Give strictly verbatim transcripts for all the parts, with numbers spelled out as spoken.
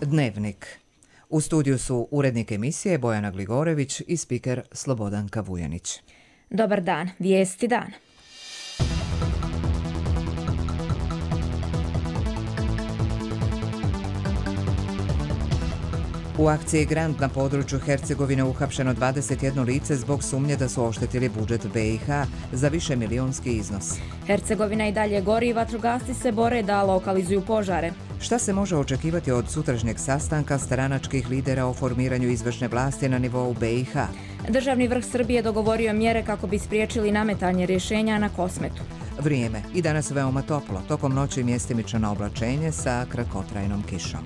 Dnevnik. U studiju su urednik emisije Bojana Gligorević i spiker Slobodanka Vujanić. Dobar dan, vijesti dana. U akciji Grand na području Hercegovine uhapšeno dvadeset jedno lice zbog sumnje da su oštetili budžet B i H za višemilijonski iznos. Hercegovina i dalje gori i vatrogasci se bore da lokalizuju požare. Šta se može očekivati od sutrašnjeg sastanka stranačkih lidera o formiranju izvršne vlasti na nivou B i H? Državni vrh Srbije dogovorio mjere kako bi spriječili nametanje rješenja na Kosmetu. Vrijeme. I danas veoma toplo. Tokom noći mjestimično oblačenje sa kratkotrajnom kišom.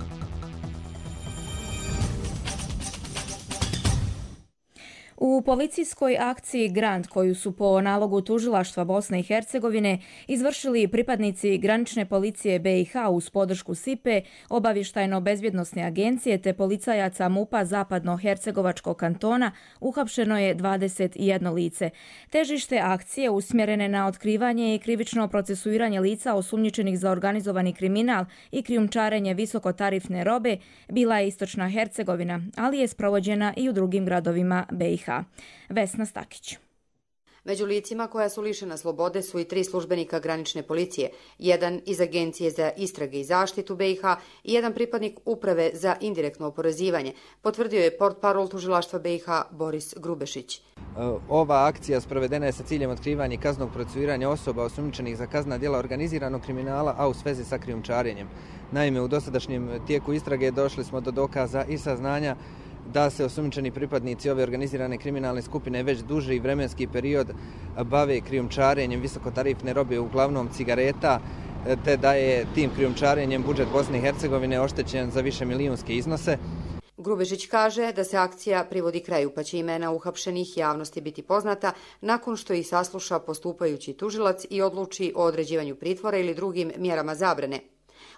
U policijskoj akciji Grand, koju su po nalogu tužilaštva Bosne i Hercegovine izvršili pripadnici granične policije B i H uz podršku S I P E, obavještajno-bezbjednosne agencije te policajaca MUP-a Zapadno-Hercegovačkog kantona, uhapšeno je dvadeset jedno lice. Težište akcije usmjerene na otkrivanje i krivično procesuiranje lica osumnjičenih za organizovani kriminal i krijumčarenje visokotarifne robe bila je Istočna Hercegovina, ali je sprovođena i u drugim gradovima B i H. Vesna Stakić. Među licima koja su lišena slobode su i tri službenika granične policije, jedan iz Agencije za istrage i zaštitu B i H i jedan pripadnik Uprave za indirektno oporezivanje, potvrdio je portparol tužilaštva B i H Boris Grubešić. Ova akcija sprovedena je sa ciljem otkrivanja i kaznenog procesuiranja osoba osumnjičenih za kaznena djela organiziranog kriminala, a u svezi sa krijumčarenjem. Naime, u dosadašnjem tijeku istrage došli smo do dokaza i saznanja da se osumnjičeni pripadnici ove organizirane kriminalne skupine već duži vremenski period bave krijumčarenjem visokotarifne robe, uglavnom cigareta, te da je tim krijumčarenjem budžet Bosne i Hercegovine oštećen za više milijunske iznose. Grubešić kaže da se akcija privodi kraju, pa će imena uhapšenih javnosti biti poznata nakon što ih sasluša postupajući tužilac i odluči o određivanju pritvora ili drugim mjerama zabrane.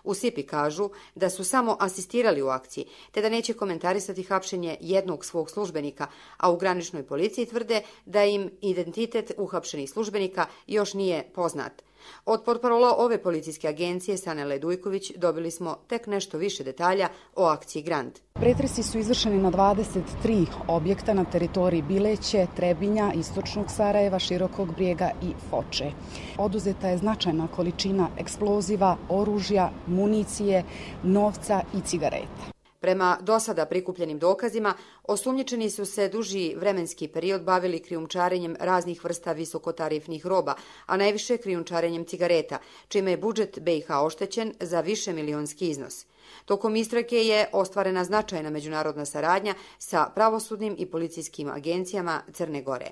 U S I P I kažu da su samo asistirali u akciji, te da neće komentarisati hapšenje jednog svog službenika, a u graničnoj policiji tvrde da im identitet uhapšenih službenika još nije poznat. Od portparola ove policijske agencije Sanele Dujković dobili smo tek nešto više detalja o akciji Grand. Pretresi su izvršeni na dvadeset tri objekta na teritoriji Bileće, Trebinja, Istočnog Sarajeva, Širokog Brijega i Foče. Oduzeta je značajna količina eksploziva, oružja, municije, novca i cigareta. Prema dosada prikupljenim dokazima, osumnjičeni su se duži vremenski period bavili krijumčarenjem raznih vrsta visokotarifnih roba, a najviše krijumčarenjem cigareta, čime je budžet B i H oštećen za više milionski iznos. Tokom istrage je ostvarena značajna međunarodna saradnja sa pravosudnim i policijskim agencijama Crne Gore.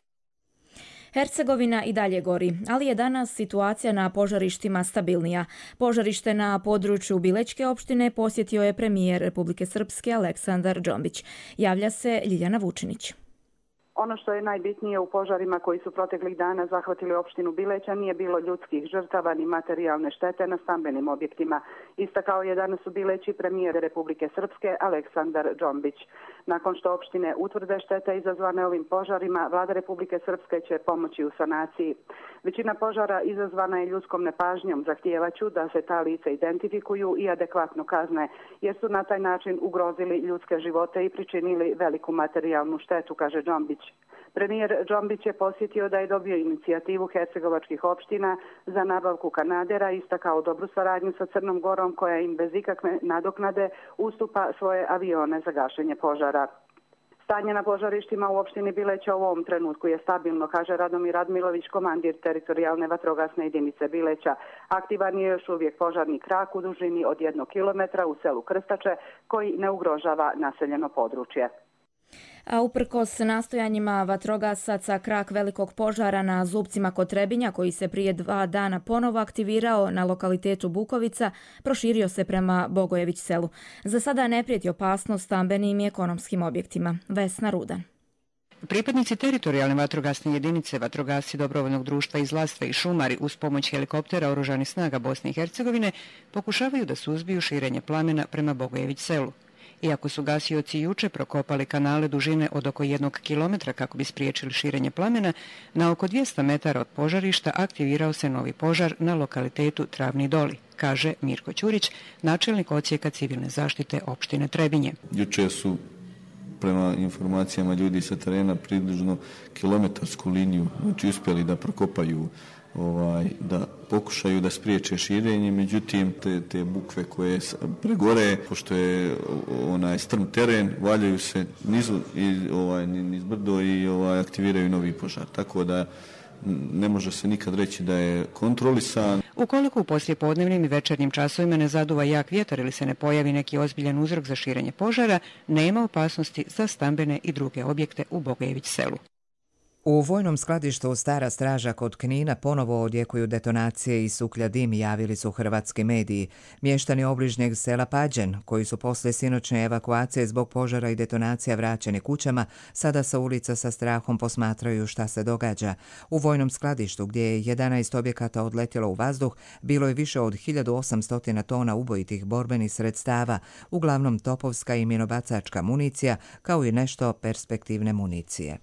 Hercegovina i dalje gori, ali je danas situacija na požarištima stabilnija. Požarište na području Bilećke opštine posjetio je premijer Republike Srpske Aleksandar Džombić. Javlja se Ljiljana Vučinić. Ono što je najbitnije u požarima koji su proteklih dana zahvatili opštinu Bileća nije bilo ljudskih žrtava ni materijalne štete na stambenim objektima. Istakao je danas u Bileći premijer Republike Srpske Aleksandar Džombić. Nakon što opštine utvrde štete izazvane ovim požarima, vlada Republike Srpske će pomoći u sanaciji. Većina požara izazvana je ljudskom nepažnjom. Zahtijevaću da se ta lica identifikuju i adekvatno kazne, jer su na taj način ugrozili ljudske živote i pričinili veliku materijalnu štetu, kaže Džombić. Premijer Džombić je posjetio da je dobio inicijativu hercegovačkih opština za nabavku kanadera i istakao dobru saradnju sa Crnom Gorom koja im bez ikakve nadoknade ustupa svoje avione za gašenje požara. Stanje na požarištima u opštini Bileća u ovom trenutku je stabilno, kaže Radomir Radmilović, komandir teritorijalne vatrogasne jedinice Bileća. Aktivan je još uvijek požarni krak u dužini od jednog kilometra u selu Krstače koji ne ugrožava naseljeno područje. A uprkos nastojanjima vatrogasaca, krak velikog požara na Zubcima kod Trebinja, koji se prije dva dana ponovo aktivirao na lokalitetu Bukovica, proširio se prema Bogojević selu. Za sada ne prijeti opasnost stambenim i ekonomskim objektima. Vesna Rudan. Pripadnici teritorijalne vatrogasne jedinice, vatrogasci dobrovoljnog društva iz Lastve i šumari uz pomoć helikoptera oružanih snaga Bosne i Hercegovine pokušavaju da suzbiju širenje plamena prema Bogojević selu. Iako su gasioci juče prokopali kanale dužine od oko jednog kilometra kako bi spriječili širenje plamena, na oko dvjesto metara od požarišta aktivirao se novi požar na lokalitetu Travni Doli, kaže Mirko Ćurić, načelnik odsjeka civilne zaštite opštine Trebinje. Juče su prema informacijama ljudi sa terena približno kilometarsku liniju, znači uspjeli da prokopaju, ovaj, da pokušaju da spriječe širenje, međutim te, te bukve koje pregore, pošto je onaj strm teren, valjaju se nizu i ovaj niz brdo i ovaj aktiviraju novi požar. Tako da ne može se nikad reći da je kontrolisan. Ukoliko u poslijepodnevnim i večernjim časovima ne zaduva jak vjetar ili se ne pojavi neki ozbiljan uzrok za širenje požara, nema opasnosti za stambene i druge objekte u Bogejević selu. U vojnom skladištu Stara Straža kod Knina ponovo odjekuju detonacije i suklja dim, javili su hrvatski mediji. Mještani obližnjeg sela Pađen, koji su poslije sinoćne evakuacije zbog požara i detonacija vraćeni kućama, sada sa ulica sa strahom posmatraju šta se događa. U vojnom skladištu, gdje je jedanaest objekata odletjelo u vazduh, bilo je više od hiljadu osamsto tona ubojitih borbenih sredstava, uglavnom topovska i minobacačka municija, kao i nešto perspektivne municije.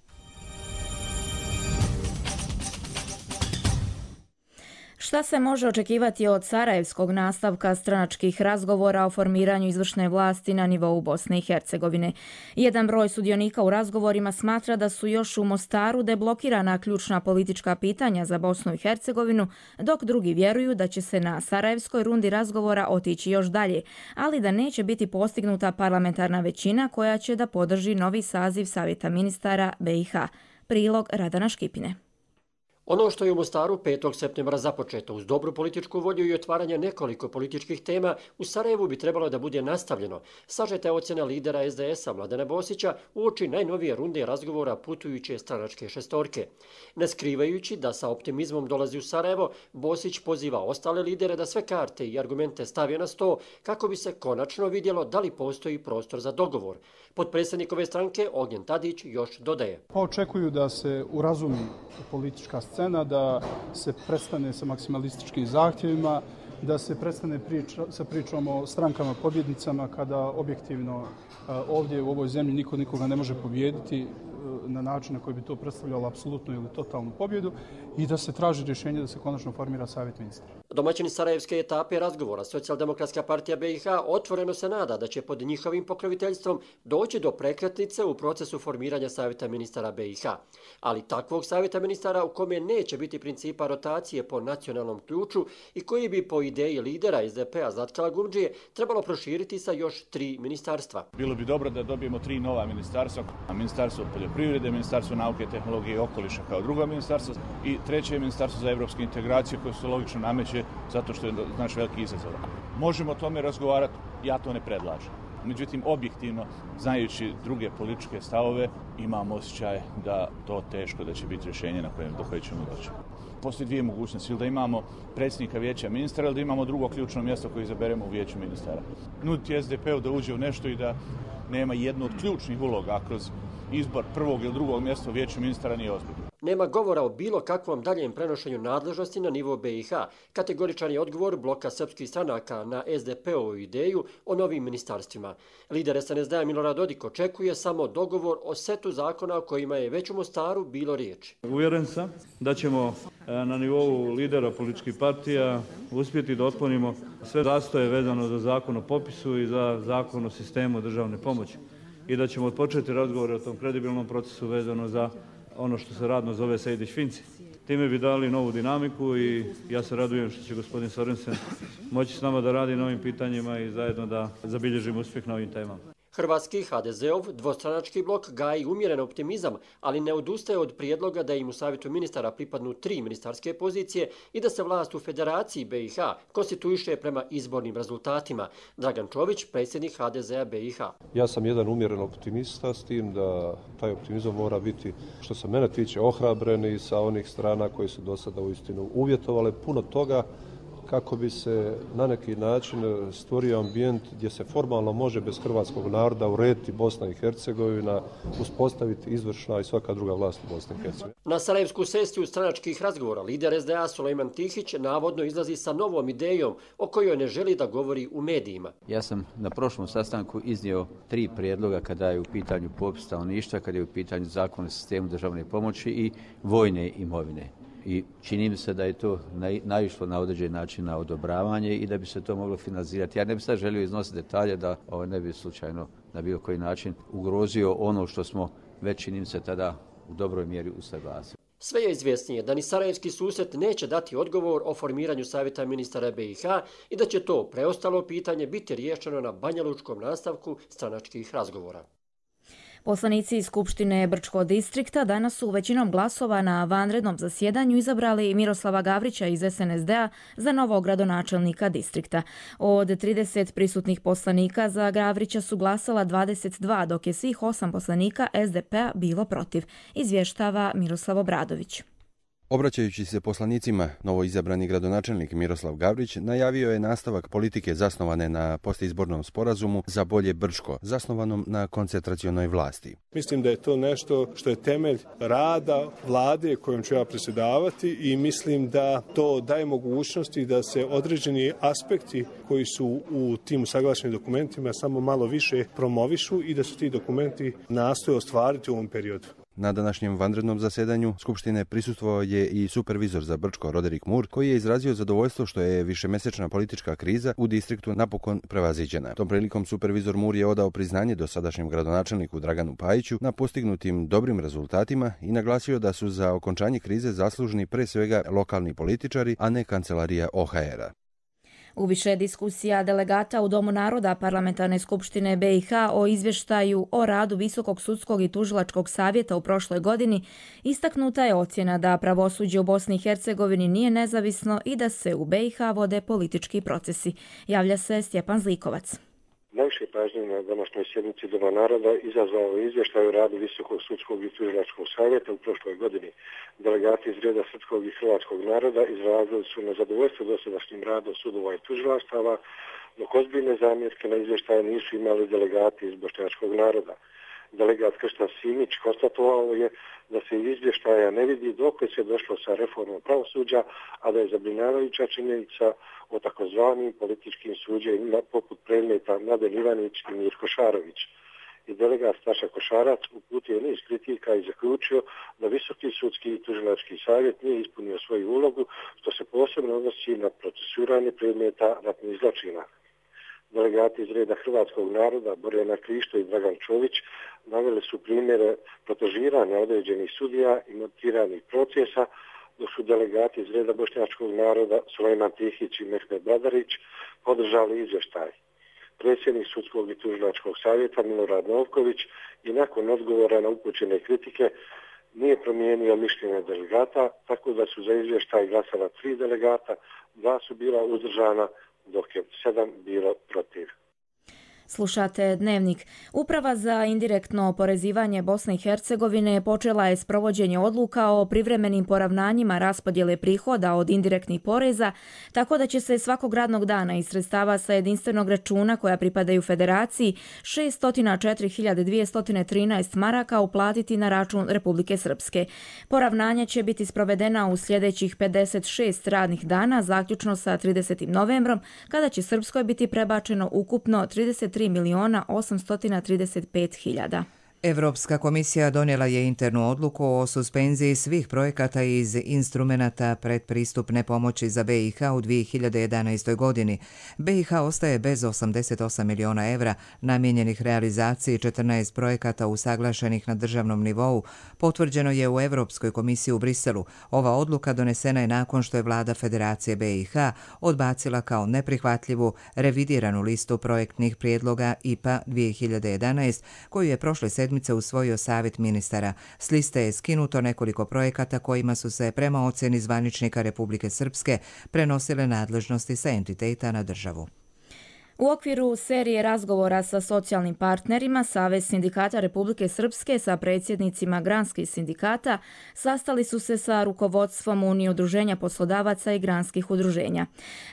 Šta se može očekivati od sarajevskog nastavka stranačkih razgovora o formiranju izvršne vlasti na nivou Bosne i Hercegovine? Jedan broj sudionika u razgovorima smatra da su još u Mostaru deblokirana ključna politička pitanja za Bosnu i Hercegovinu, dok drugi vjeruju da će se na sarajevskoj rundi razgovora otići još dalje, ali da neće biti postignuta parlamentarna većina koja će da podrži novi saziv Savjeta ministara be i ha. Prilog Radana Škipine. Ono što je u Mostaru petog septembra započeto uz dobru političku volju i otvaranje nekoliko političkih tema, u Sarajevu bi trebalo da bude nastavljeno. Sažeta je ocjena lidera es de es-a Mladena Bosića uoči najnovije runde razgovora putujuće stranačke šestorke. Ne skrivajući da sa optimizmom dolazi u Sarajevo, Bosić poziva ostale lidere da sve karte i argumente stave na sto kako bi se konačno vidjelo da li postoji prostor za dogovor. Potpredsjednik ove stranke Ognjen Tadić još dodaje. Pa očekuju da se urazumi politička scena, da se prestane sa maksimalističkim zahtjevima, da se prestane priča, sa pričom o strankama pobjednicama kada objektivno ovdje u ovoj zemlji niko nikoga ne može pobijediti na način na koji bi to predstavljalo apsolutnu ili totalnu pobjedu i da se traži rješenje da se konačno formira savjet ministara. Domaćini sarajevske etape razgovora Socijaldemokratska partija be i ha otvoreno se nada da će pod njihovim pokroviteljstvom doći do prekretnice u procesu formiranja savjeta ministara be i ha. Ali takvog savjeta ministara u kome neće biti principa rotacije po nacionalnom ključu i koji bi po ideji lidera es de pe-a Zlatkala Gumdžije trebalo proširiti sa još tri ministarstva. Bilo bi dobro da dobijemo tri nova ministarstva, a ministarstvo poljoprivrede, ministarstvo nauke, tehnologije i okoliša kao drugo ministarstvo i treće je ministarstvo za evropske integracije koje se logično nameće zato što je naš veliki izazov. Možemo o tome razgovarati, ja to ne predlažem. Međutim, objektivno, znajući druge političke stavove, imam osjećaj da to teško da će biti rješenje na kojem do koje ćemo doći. Postoji dvije mogućnosti, ili da imamo predsjednika vijeća ministara ili da imamo drugo ključno mjesto koje izaberemo u vijeću ministara. Nuditi es de pe-u da uđe u nešto i da nema jednu od ključnih uloga kroz izbor prvog ili drugog mjesta u vijeću ministara nije ozbiljno. Nema govora o bilo kakvom daljem prenošenju nadležnosti na nivo be i ha. Kategoričan je odgovor bloka srpskih stranaka na es de pe-ovu ideju o novim ministarstvima. Lider es en es de-a Milorad Dodik očekuje samo dogovor o setu zakona o kojima je već u Mostaru bilo riječi. Uvjeren sam da ćemo na nivou lidera političkih partija uspjeti da otklonimo sve zastoje vezano za zakon o popisu i za zakon o sistemu državne pomoći i da ćemo odpočeti razgovore o tom kredibilnom procesu vezano za ono što se radno zove Sejdić-Finci. Time bi dali novu dinamiku i ja se radujem što će gospodin Sorensen moći s nama da radi na ovim pitanjima i zajedno da zabilježimo uspjeh na ovim temama. Hrvatski ha de ze-ov dvostranački blok gaji umjeren optimizam, ali ne odustaje od prijedloga da im u savjetu ministara pripadnu tri ministarske pozicije i da se vlast u Federaciji be i ha konstituiše prema izbornim rezultatima. Dragan Čović, predsjednik ha de ze-a be i ha. Ja sam jedan umjeren optimista s tim da taj optimizam mora biti, što se mene tiče, ohrabren i sa onih strana koji su do sada uistinu uvjetovale puno toga kako bi se na neki način stvorio ambijent gdje se formalno može bez hrvatskog naroda urediti Bosna i Hercegovina, uspostaviti izvršna i svaka druga vlast u Bosni i Hercegovini. Na sarajevsku sesiju stranačkih razgovora lider es de a Sulejman Tihić navodno izlazi sa novom idejom o kojoj ne želi da govori u medijima. Ja sam na prošlom sastanku iznio tri prijedloga kada je u pitanju popis stanovništva, kada je u pitanju zakon o sistemu državne pomoći i vojne imovine. I čini mi se da je to naišlo na određen način na odobravanje i da bi se to moglo finalizirati. Ja ne bih sad želio iznositi detalje da ovo ne bi slučajno na bilo koji način ugrozio ono što smo već, čini mi se, tada u dobroj mjeri usaglasili. Sve je izvjesnije da ni sarajevski susret neće dati odgovor o formiranju savjeta ministara be i ha i da će to preostalo pitanje biti riješeno na banjalučkom nastavku stranačkih razgovora. Poslanici iz Skupštine Brčkog distrikta danas su većinom glasova na vanrednom zasjedanju izabrali Miroslava Gavrića iz es en es de a za novog gradonačelnika distrikta. Od trideset prisutnih poslanika za Gavrića su glasala dvadeset dva, dok je svih osam poslanika es de pe a bilo protiv, izvještava Miroslav Obradović. Obraćajući se poslanicima, novoizabrani gradonačelnik Miroslav Gavrić najavio je nastavak politike zasnovane na postizbornom sporazumu za bolje Brčko, zasnovanom na koncentracionoj vlasti. Mislim da je to nešto što je temelj rada vlade kojom ću ja predsjedavati i mislim da to daje mogućnosti da se određeni aspekti koji su u tim usaglašenim dokumentima samo malo više promovišu i da su ti dokumenti nastoje ostvariti u ovom periodu. Na današnjem vanrednom zasedanju Skupštine prisustvovao je i supervizor za Brčko Roderick Moore, koji je izrazio zadovoljstvo što je višemesečna politička kriza u distriktu napokon prevaziđena. Tom prilikom supervizor Moore je odao priznanje dosadašnjem gradonačelniku Draganu Pajiću na postignutim dobrim rezultatima i naglasio da su za okončanje krize zaslužni pre svega lokalni političari, a ne kancelarija o ha er-a. U više diskusija delegata u Domu naroda Parlamentarne skupštine be i ha o izvještaju o radu Visokog sudskog i tužilačkog savjeta u prošloj godini istaknuta je ocjena da pravosuđe u Bosni i Hercegovini nije nezavisno i da se u be i ha vode politički procesi. Javlja se Stjepan Zlikovac. Najviše pažnje na današnjoj sjednici Doma naroda izazvao izvještaj o radu Visokog sudskog i tužilačkog savjeta u prošloj godini. Delegati iz reda srpskog i hrvatskog naroda izrazili su nezadovoljstvo dosadašnjim radom sudova i tužilaštava, dok ozbiljne zamjerke na izvještaje nisu imali delegati iz bošnjačkog naroda. Delegat Krštan Simić konstatovao je da se iz izvještaja ne vidi dokle se došlo sa reformom pravosuđa, a da je zabrinjavajuća činjenica o takozvanim političkim suđenjima poput predmeta Mladen Ivanić i Mirko Šarović. I delegat Staša Košarac uputio niz kritika i zaključio da Visoki sudski i tužilački savjet nije ispunio svoju ulogu, što se posebno odnosi na procesuiranje predmeta ratnih zločina. Delegati iz reda hrvatskog naroda Borjana Krišto i Dragan Čović naveli su primjere protežiranja određenih sudija i montiranih procesa, dok su delegati iz reda bošnjačkog naroda Sulejman Tihić i Mehmed Badarić podržali izvještaj. Predsjednik sudskog i tužilačkog savjeta Milorad Novković i nakon odgovora na upućene kritike nije promijenio mišljenje delegata, tako da su za izvještaj glasala tri delegata, dva su bila uzdržana, dok je sedam bilo protiv. Slušate Dnevnik. Uprava za indirektno oporezivanje Bosne i Hercegovine počela je s provođenje odluka o privremenim poravnanjima raspodjele prihoda od indirektnih poreza, tako da će se svakog radnog dana iz sredstava sa jedinstvenog računa koja pripadaju federaciji šessto četiri hiljade dvjesto trinaest maraka uplatiti na račun Republike Srpske. Poravnanja će biti sprovedena u sljedećih pedeset šest radnih dana, zaključno sa tridesetim novembrom, kada će Srpskoj biti prebačeno ukupno trideset tri miliona osamsto trideset pet hiljada. Evropska komisija donijela je internu odluku o suspenziji svih projekata iz instrumenata predpristupne pomoći za be i ha u dvije hiljade jedanaestoj godini. be i ha ostaje bez osamdeset osam miliona evra namijenjenih realizaciji četrnaest projekata usaglašenih na državnom nivou, potvrđeno je u Evropskoj komisiji u Briselu. Ova odluka donesena je nakon što je vlada Federacije be i ha odbacila kao neprihvatljivu revidiranu listu projektnih prijedloga i pe a dvije hiljade jedanaest, koju je prošle sedmice usvojio savjet ministara. S liste je skinuto nekoliko projekata kojima su se prema ocjeni zvaničnika Republike Srpske prenosile nadležnosti sa entiteta na državu. U okviru serije razgovora sa socijalnim partnerima, Savez sindikata Republike Srpske sa predsjednicima granskih sindikata sastali su se sa rukovodstvom Unije udruženja poslodavaca i granskih udruženja.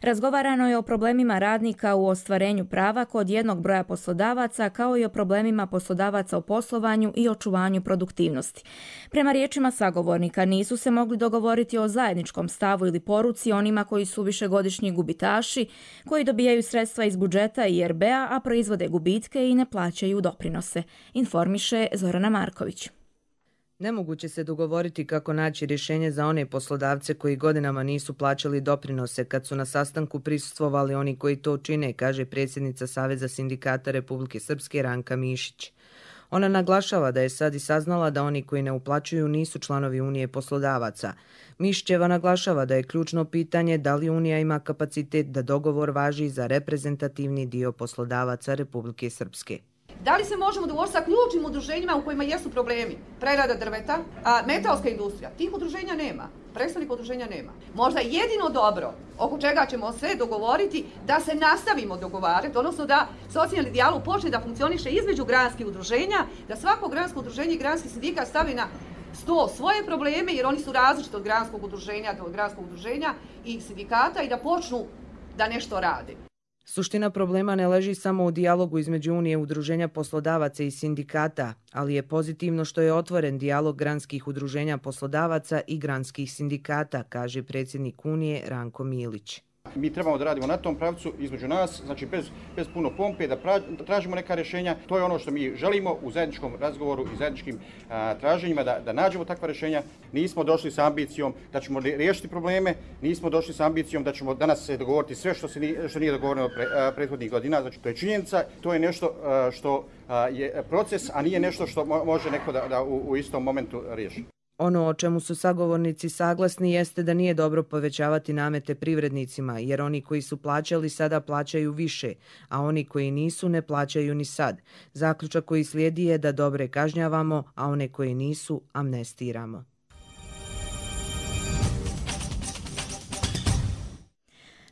Razgovarano je o problemima radnika u ostvarenju prava kod jednog broja poslodavaca, kao i o problemima poslodavaca u poslovanju i očuvanju produktivnosti. Prema riječima sagovornika, nisu se mogli dogovoriti o zajedničkom stavu ili poruci onima koji su višegodišnji gubitaši, koji dobijaju sredstva iz budžeta i er be a, a proizvode gubitke i ne plaćaju doprinose, informiše Zorana Marković. Nemoguće se dogovoriti kako naći rješenje za one poslodavce koji godinama nisu plaćali doprinose kad su na sastanku prisustvovali oni koji to čine, kaže predsjednica Saveza sindikata Republike Srpske Ranka Mišić. Ona naglašava da je sad i saznala da oni koji ne uplaćuju nisu članovi Unije poslodavaca. Mišićeva naglašava da je ključno pitanje da li Unija ima kapacitet da dogovor važi za reprezentativni dio poslodavaca Republike Srpske. Da li se možemo dogovoriti sa ključnim udruženjima u kojima jesu problemi? Prerada drveta, a metalska industrija. Tih udruženja nema. Predstavnika udruženja nema. Možda jedino dobro oko čega ćemo se dogovoriti da se nastavimo dogovarati, odnosno da socijalni dijalog počne da funkcioniše između granskih udruženja, da svako gransko udruženje i granski sindikat stavi na sto svoje probleme, jer oni su različiti od granskog udruženja do granskog udruženja i sindikata, i da počnu da nešto rade. Suština problema ne leži samo u dijalogu između Unije udruženja poslodavaca i sindikata, ali je pozitivno što je otvoren dijalog granskih udruženja poslodavaca i granskih sindikata, kaže predsjednik Unije Ranko Milić. Mi trebamo da radimo na tom pravcu između nas, znači bez, bez puno pompe, da, pra, da tražimo neka rješenja. To je ono što mi želimo u zajedničkom razgovoru i zajedničkim a, traženjima, da, da nađemo takva rješenja. Nismo došli sa ambicijom da ćemo riješiti probleme, nismo došli sa ambicijom da ćemo danas se dogovoriti sve što, se nije, što nije dogovoreno pre, a, prethodnih godina. Znači, to je činjenica, to je nešto a, što a, je proces, a nije nešto što mo, može neko da, da u, u istom momentu riješi. Ono o čemu su sagovornici saglasni jeste da nije dobro povećavati namete privrednicima, jer oni koji su plaćali sada plaćaju više, a oni koji nisu ne plaćaju ni sad. Zaključak koji slijedi je da dobre kažnjavamo, a one koji nisu amnestiramo.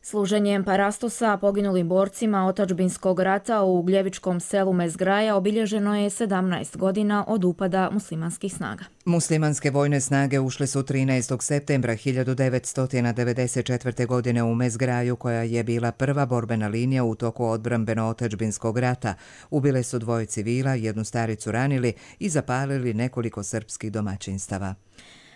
Služenjem parastosa poginulim borcima otadžbinskog rata u Ugljevičkom selu Mezgraja obilježeno je sedamnaest godina od upada muslimanskih snaga. Muslimanske vojne snage ušle su trinaestog septembra hiljadu devetsto devedeset četvrte. godine u Mezgraju, koja je bila prva borbena linija u toku odbrambeno-otadžbinskog rata. Ubile su dvoje civila, jednu staricu ranili i zapalili nekoliko srpskih domaćinstava.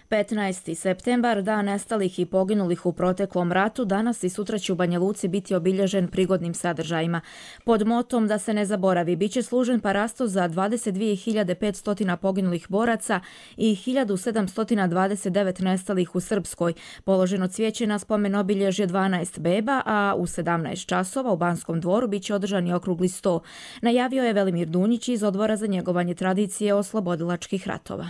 petnaesti septembar, dan nestalih i poginulih u proteklom ratu, danas i sutra će u Banja Luci biti obilježen prigodnim sadržajima. Pod motom da se ne zaboravi, bit će služen parastos za dvadeset dvije hiljade petsto poginulih boraca i hiljadu sedamsto dvadeset devet nestalih u Srpskoj. Položeno cvijeće na spomen obilježje dvanaest beba, a u sedamnaest časova u Banskom dvoru bit će održani okrugli sto. Najavio je Velimir Dunjić iz Odbora za njegovanje tradicije oslobodilačkih ratova.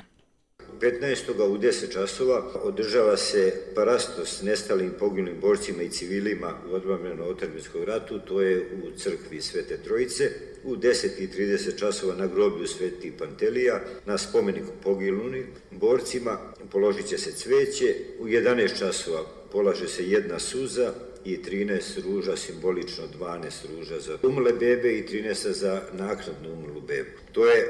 petnaestog u deset časova održava se parastos nestalim poginulim borcima i civilima u odbrambeno-otadžbinskom ratu, to je u crkvi Svete Trojice. U deset i trideset časova na groblju Sveti Pantelija, na spomeniku poginulim borcima, položit će se cveće. U jedanaest časova polaže se jedna suza i trinaest ruža, simbolično dvanaest ruža za umrle bebe i trinaest za naknadno umrlu bebu. To je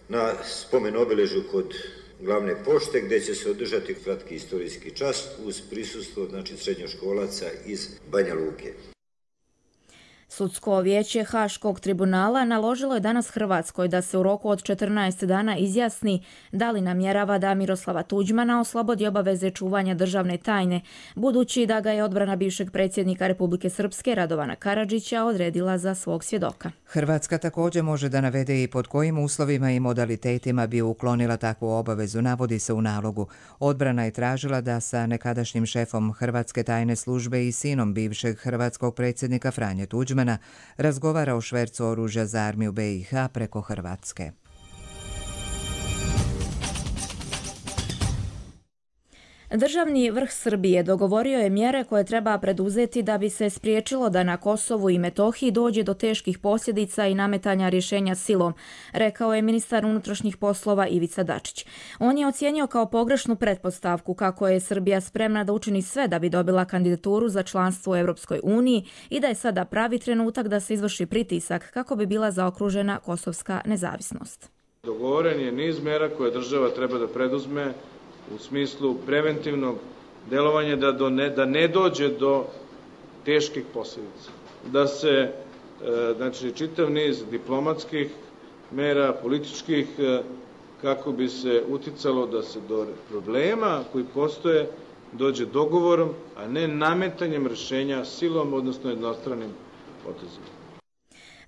na spomen obilježju kod glavne pošte, gdje će se održati kratki istorijski čas uz prisustvo, znači, srednjoškolaca iz Banja Luke. Sudsko vijeće Haškog tribunala naložilo je danas Hrvatskoj da se u roku od četrnaest dana izjasni da li namjerava da Miroslava Tuđmana oslobodi obaveze čuvanja državne tajne, budući da ga je odbrana bivšeg predsjednika Republike Srpske Radovana Karadžića odredila za svog svjedoka. Hrvatska također može da navede i pod kojim uslovima i modalitetima bi uklonila takvu obavezu, navodi se u nalogu. Odbrana je tražila da sa nekadašnjim šefom Hrvatske tajne službe i sinom bivšeg hrvatskog predsjednika Franje Tuđmana razgovara o švercu oružja za armiju be i ha preko Hrvatske. Državni vrh Srbije dogovorio je mjere koje treba preduzeti da bi se spriječilo da na Kosovu i Metohiji dođe do teških posljedica i nametanja rješenja silom, rekao je ministar unutrašnjih poslova Ivica Dačić. On je ocijenio kao pogrešnu pretpostavku kako je Srbija spremna da učini sve da bi dobila kandidaturu za članstvo u Europskoj uniji i da je sada pravi trenutak da se izvrši pritisak kako bi bila zaokružena kosovska nezavisnost. Dogovoren je niz mjera koje država treba da preduzme u smislu preventivnog delovanja da, do ne, da ne dođe do teških posljedica. Da se e, znači, čitav niz diplomatskih mera, političkih, e, kako bi se uticalo da se do problema koji postoje dođe dogovorom, a ne nametanjem rješenja silom, odnosno jednostranim potezima.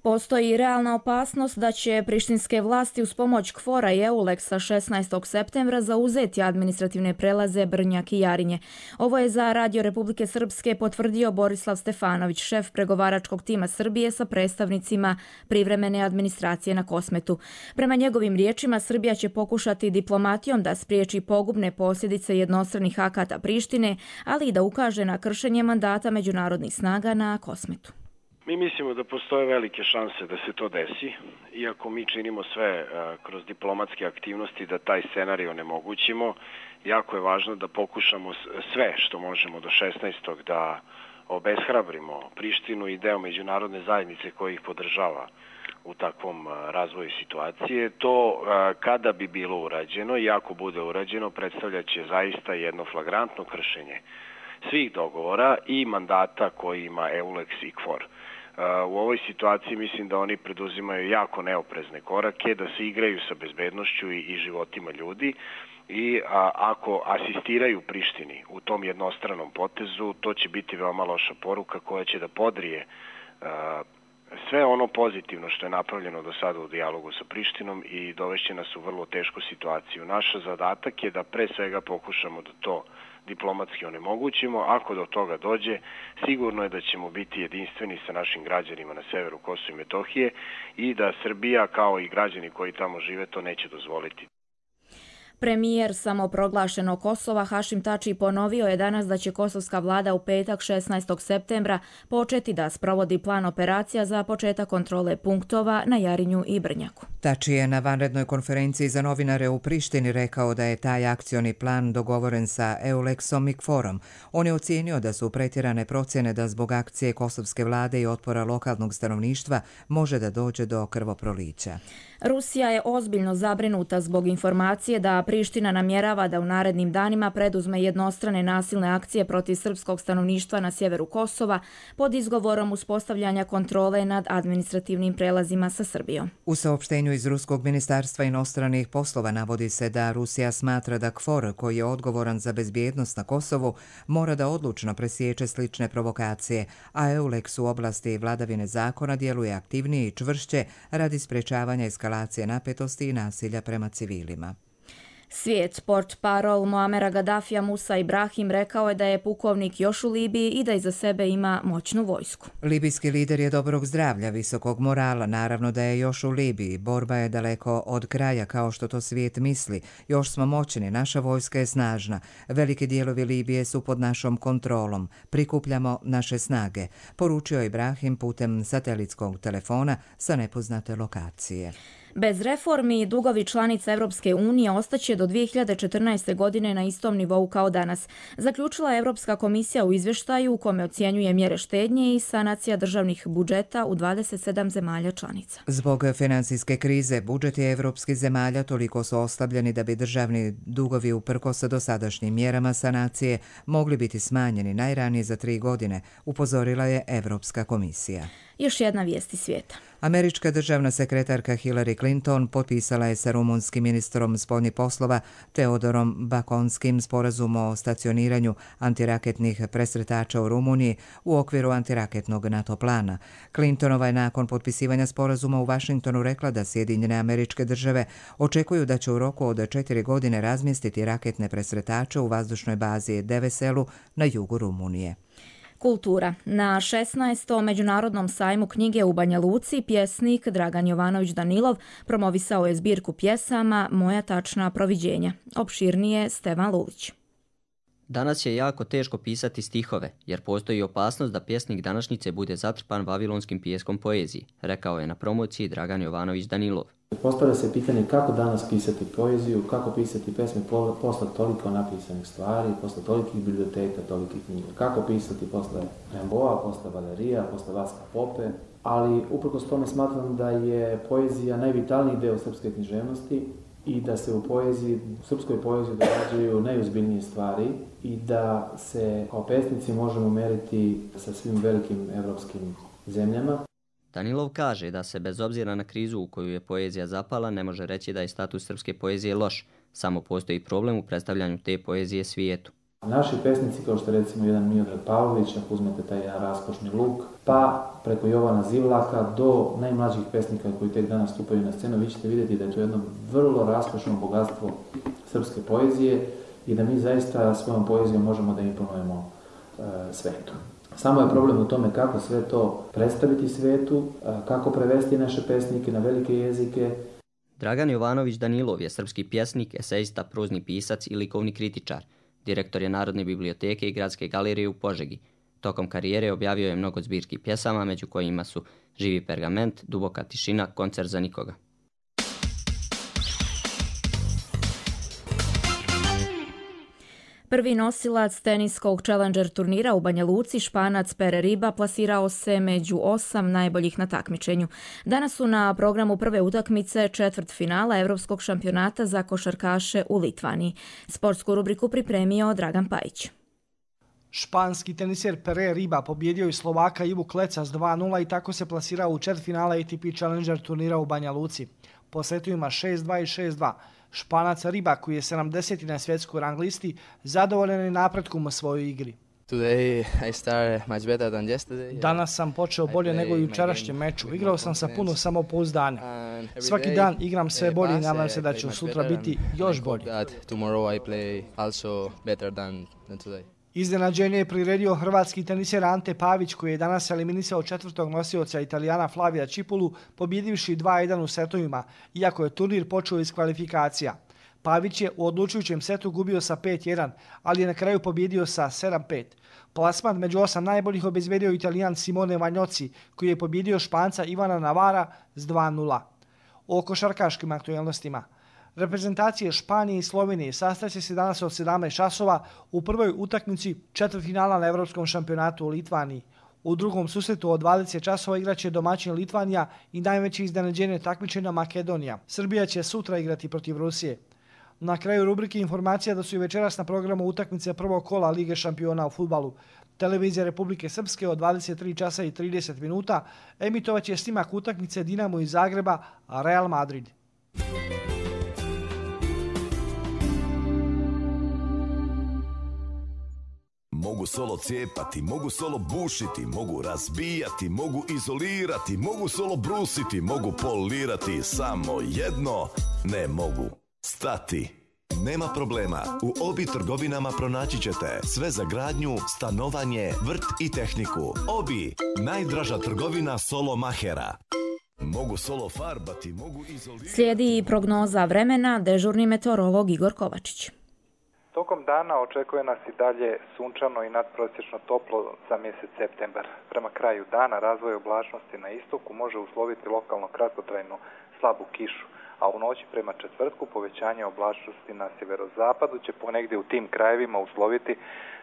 Postoji realna opasnost da će prištinske vlasti uz pomoć KFOR-a i EULEX-a šesnaestog septembra zauzeti administrativne prelaze Brnjak i Jarinje. Ovo je za Radio Republike Srpske potvrdio Borislav Stefanović, šef pregovaračkog tima Srbije sa predstavnicima privremene administracije na Kosmetu. Prema njegovim riječima, Srbija će pokušati diplomatijom da spriječi pogubne posljedice jednostranih akata Prištine, ali i da ukaže na kršenje mandata međunarodnih snaga na Kosmetu. Mi mislimo da postoje velike šanse da se to desi, iako mi činimo sve kroz diplomatske aktivnosti da taj scenarij onemogućimo. Jako je važno da pokušamo sve što možemo do šesnaestog da obeshrabrimo Prištinu i deo međunarodne zajednice koji ih podržava u takvom razvoju situacije. To kada bi bilo urađeno i ako bude urađeno predstavljaće zaista jedno flagrantno kršenje svih dogovora i mandata koji ima EULEX i KFOR. U ovoj situaciji mislim da oni preduzimaju jako neoprezne korake, da se igraju sa bezbednošću i, i životima ljudi i a, ako asistiraju Prištini u tom jednostranom potezu, to će biti veoma loša poruka koja će da podrije a, sve ono pozitivno što je napravljeno do sada u dijalogu sa Prištinom i dovešće nas u vrlo tešku situaciju. Naš zadatak je da pre svega pokušamo da to diplomatski onemogućimo. Ako do toga dođe, sigurno je da ćemo biti jedinstveni sa našim građanima na severu Kosova i Metohije i da Srbija, kao i građani koji tamo žive, to neće dozvoliti. Premijer samoproglašenog Kosova Hašim Tači ponovio je danas da će kosovska vlada u petak šesnaestog septembra početi da sprovodi plan operacija za početak kontrole punktova na Jarinju i Brnjaku. Tači je na vanrednoj konferenciji za novinare u Prištini rekao da je taj akcioni plan dogovoren sa EULEX-om i KFOR-om. On je ocijenio da su pretjerane procjene da zbog akcije kosovske vlade i otpora lokalnog stanovništva može da dođe do krvoprolića. Rusija je ozbiljno zabrinuta zbog informacije da Priština namjerava da u narednim danima preduzme jednostrane nasilne akcije protiv srpskog stanovništva na sjeveru Kosova pod izgovorom uspostavljanja kontrole nad administrativnim prelazima sa Srbijom. U saopštenju iz Ruskog ministarstva inostranih poslova navodi se da Rusija smatra da KFOR, koji je odgovoran za bezbjednost na Kosovu, mora da odlučno presječe slične provokacije, a EULEX u oblasti vladavine zakona djeluje aktivnije i čvršće radi sprečavanja eskalacije napetosti i nasilja prema civilima. Svijet, portparol Muamera Gaddafija Musa Ibrahim rekao je da je pukovnik još u Libiji i da iza sebe ima moćnu vojsku. Libijski lider je dobrog zdravlja, visokog morala, naravno da je još u Libiji. Borba je daleko od kraja kao što to svijet misli. Još smo moćni, naša vojska je snažna. Veliki dijelovi Libije su pod našom kontrolom. Prikupljamo naše snage, poručio Ibrahim putem satelitskog telefona sa nepoznate lokacije. Bez reformi dugovi članica Europske unije ostaće do dvije hiljade četrnaeste. godine na istom nivou kao danas, zaključila je Europska komisija u izvještaju u kome ocjenjuje mjere štednje i sanacija državnih budžeta u dvadeset sedam zemalja članica. Zbog financijske krize, budžeti evropskih zemalja toliko su oslabljeni da bi državni dugovi uprkos dosadašnjim mjerama sanacije mogli biti smanjeni najranije za tri godine, upozorila je Europska komisija. Još jedna vijest iz svijeta. Američka državna sekretarka Hillary Clinton potpisala je sa rumunskim ministrom spoljnih poslova Teodorom Bakonskim sporazum o stacioniranju antiraketnih presretača u Rumuniji u okviru antiraketnog NATO plana. Clintonova je nakon potpisivanja sporazuma u Vašingtonu rekla da Sjedinjene Američke Države očekuju da će u roku od četiri godine razmjestiti raketne presretače u vazdušnoj bazi Deveselu na jugu Rumunije. Kultura. Na šesnaestom međunarodnom sajmu knjige u Banja Luci pjesnik Dragan Jovanović Danilov promovisao je zbirku pjesama Moja tačna proviđenja. Opširnije Stevan Lulić. Danas je jako teško pisati stihove, jer postoji opasnost da pjesnik današnjice bude zatrpan vavilonskim pijeskom poezije, rekao je na promociji Dragan Jovanović Danilov. Postavlja se pitanje kako danas pisati poeziju, kako pisati pesme posle toliko napisanih stvari, posle tolikih biblioteka, tolikih knjiga. Kako pisati posle Rimbaua, posle Valerija, posle Vaska Pope, ali uprkos tome smatram da je poezija najvitalniji deo srpske književnosti i da se u poeziji, u srpskoj poeziji događaju najozbiljnije stvari i da se kao pesnici možemo meriti sa svim velikim evropskim zemljama. Danilov kaže da se bez obzira na krizu u koju je poezija zapala ne može reći da je status srpske poezije loš, samo postoji problem u predstavljanju te poezije svijetu. Naši pesnici, kao što recimo jedan Miodrag Pavlović, ako uzmete taj jedan raskošni luk, pa preko Jovana Zivlaka do najmlađih pesnika koji tek danas stupaju na scenu, vi ćete vidjeti da je to jedno vrlo raskošno bogatstvo srpske poezije i da mi zaista svojom poezijom možemo da imponujemo e, svetu. Samo je problem u tome kako sve to predstaviti svetu, kako prevesti naše pesnike na velike jezike. Dragan Jovanović Danilov je srpski pjesnik, esejista, prozni pisac i likovni kritičar. Direktor je Narodne biblioteke i Gradske galerije u Požegi. Tokom karijere objavio je mnogo zbirki pjesama, među kojima su Živi pergament, Duboka tišina, Koncert za nikoga. Prvi nosilac teniskog Challenger turnira u Banja Luci, Španac Pere Riba, plasirao se među osam najboljih na takmičenju. Danas su na programu prve utakmice četvrtfinala Evropskog šampionata za košarkaše u Litvaniji. Sportsku rubriku pripremio Dragan Pajić. Španski teniser Pere Riba pobjedio je Slovaka Ivu Kleca s dva nula i tako se plasirao u četvrtfinala A T P Challenger turnira u Banja Luci. Po setovima šest dva i šest dva. Španac Riba, koji je sedamdeseti na svjetskoj rang listi, zadovoljan je napretkom u svojoj igri. Danas sam počeo bolje nego i u jučerašnjem meču. Igrao sam sa puno samopouzdanja. Svaki dan igram sve bolje i nadam se da ću sutra biti još bolji. Iznenađenje je priredio hrvatski teniser Ante Pavić, koji je danas eliminisao četvrtog nosioca Italijana Flavija Čipulu, pobjedivši dva jedan u setovima, iako je turnir počeo iz kvalifikacija. Pavić je u odlučujućem setu gubio sa pet jedan, ali je na kraju pobjedio sa sedam pet. Plasman među osam najboljih obezbedio Italijan Simone Vanjoci, koji je pobjedio Španca Ivana Navara s dva nula. O košarkaškim aktualnostima. Reprezentacije Španije i Slovenije sastaće se danas od sedamnaest časova u prvoj utakmici četvrtfinala na Evropskom šampionatu u Litvaniji. U drugom susretu od dvadeset časova igraće domaćin Litvanija i najveće iznenađenje takmičenja Makedonija. Srbija će sutra igrati protiv Rusije. Na kraju rubrike informacija da su i večeras na programu utakmice prvog kola Lige šampiona u fudbalu. Televizija Republike Srpske od dvadeset tri časa i trideset minuta emitovaće snimak utakmice Dinamo iz Zagreba, a Real Madrid. Mogu solo cijepati, mogu solo bušiti, mogu razbijati, mogu izolirati, mogu solo brusiti, mogu polirati, samo jedno ne mogu stati. Nema problema, u Obi trgovinama pronaći ćete sve za gradnju, stanovanje, vrt i tehniku. Obi, najdraža trgovina solo mahera. Mogu solo farbati, mogu izolirati. Slijedi prognoza vremena, dežurni meteorolog Igor Kovačić. Tokom dana očekuje nas i dalje sunčano i nadprosječno toplo za mjesec septembar. Prema kraju dana razvoj oblačnosti na istoku može usloviti lokalno kratkotrajnu slabu kišu, a u noći prema četvrtku povećanje oblačnosti na sjeverozapadu će ponegdje u tim krajevima usloviti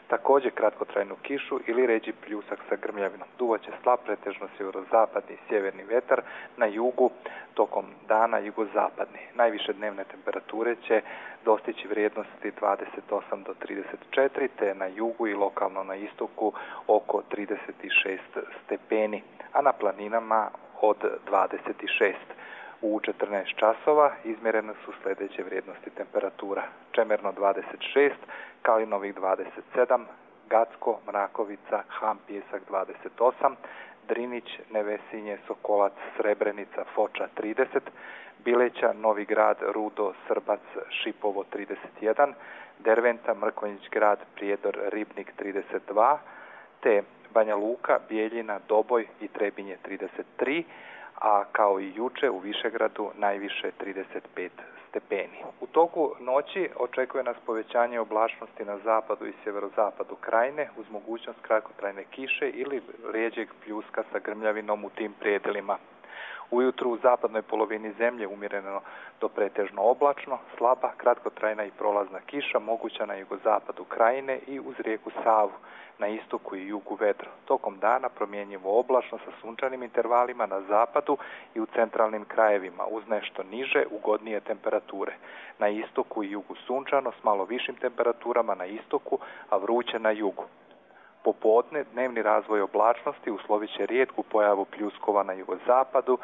također kratkotrajnu kišu ili ređi pljusak sa grmljavinom. Duvaće slab pretežno sjeverozapadni i sjeverni vetar, na jugu tokom dana jugozapadni. Najviše dnevne temperature će dostići vrijednosti dvadeset osam do trideset četiri, te na jugu i lokalno na istoku oko trideset šest stepeni, a na planinama od dvadeset šest. U četrnaest časova izmjerene su sljedeće vrijednosti temperatura. Čemerno dvadeset šest, Kalinovik dvadeset sedam, Gacko, Mrakovica, Ham, Pjesak dvadeset osam, Drinić, Nevesinje, Sokolac, Srebrenica, Foča trideset, Bileća, Novi Grad, Rudo, Srbac, Šipovo trideset jedan, Derventa, Mrkonjić Grad, Prijedor, Ribnik trideset dva, te Banja Luka, Bijeljina, Doboj i Trebinje trideset tri, a kao i juče u Višegradu najviše trideset pet stepeni. U toku noći očekuje nas povećanje oblačnosti na zapadu i sjeverozapadu krajine uz mogućnost kratkotrajne kiše ili rijeđeg pljuska sa grmljavinom u tim predelima. Ujutru u zapadnoj polovini zemlje umjereno do pretežno oblačno, slaba, kratkotrajna i prolazna kiša moguća na jugozapadu krajine i uz rijeku Savu, na istoku i jugu vedro. Tokom dana promjenjivo oblačno sa sunčanim intervalima na zapadu i u centralnim krajevima uz nešto niže, ugodnije temperature. Na istoku i jugu sunčano s malo višim temperaturama na istoku, a vruće na jugu. Popodne dnevni razvoj oblačnosti uslovit će rijetku pojavu pljuskova na jugozapadu,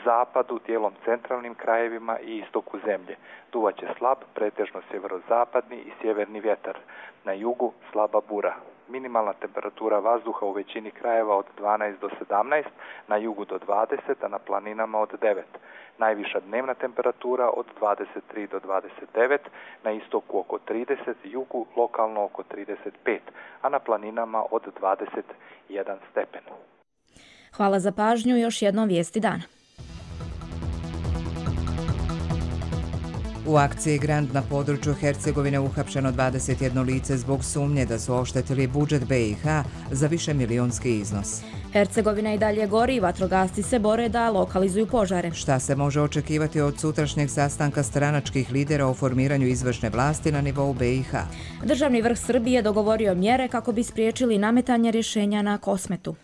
zapadu, dijelom centralnim krajevima i istoku zemlje. Duvaće slab, pretežno sjeverozapadni i sjeverni vjetar. Na jugu slaba bura. Minimalna temperatura vazduha u većini krajeva od dvanaest do sedamnaest, na jugu do dvadeset, a na planinama od devet. Najviša dnevna temperatura od dvadeset tri do dvadeset devet, na istoku oko trideset, jugu lokalno oko trideset pet, a na planinama od dvadeset jedan stepen. Hvala za pažnju, još jednom vijesti dana. U akciji Grand na području Hercegovine uhapšeno dvadeset jedno lice zbog sumnje da su oštetili budžet B i H za višemilijonski iznos. Hercegovina i dalje gori i vatrogasci se bore da lokalizuju požare. Šta se može očekivati od sutrašnjeg sastanka stranačkih lidera o formiranju izvršne vlasti na nivou B i H? Državni vrh Srbije dogovorio mjere kako bi spriječili nametanje rješenja na Kosmetu.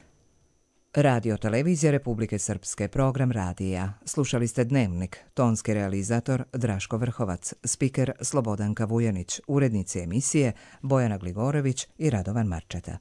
Radio Televizija Republike Srpske, program radija. Slušali ste Dnevnik, tonski realizator Draško Vrhovac, spiker Slobodanka Vujanić, urednici emisije Bojana Gligorović i Radovan Marčeta.